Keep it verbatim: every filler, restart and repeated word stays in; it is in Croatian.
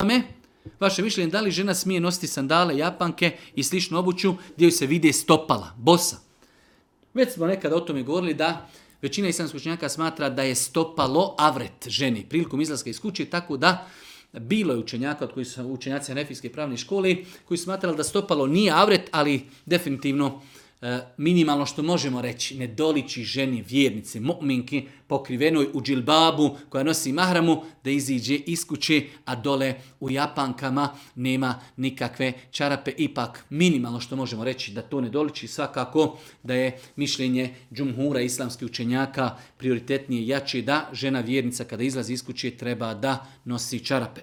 me, vaše mišljenje, da li žena smije nositi sandale, japanke i sličnu obuću gdje joj se vide stopala, bosa. Već smo nekada o tome govorili da većina islamskih učenjaka smatra da je stopalo avret ženi prilikom izlaska iz kuće, tako da bilo je učenjaka, od koji su učenjaci Hanefijske pravne škole, koji su smatrali da stopalo nije avret, ali definitivno e, minimalno što možemo reći, ne doliči ženi vjernici, mu'minki, pokrivenoj u džilbabu, koja nosi mahramu, da iziđe iz kuće, a dole u japankama nema nikakve čarape. Ipak minimalno što možemo reći da to ne doliči, svakako da je mišljenje džumhura islamskih učenjaka prioritetnije jače da žena vjernica kada izlazi iz kuće treba da nosi čarape.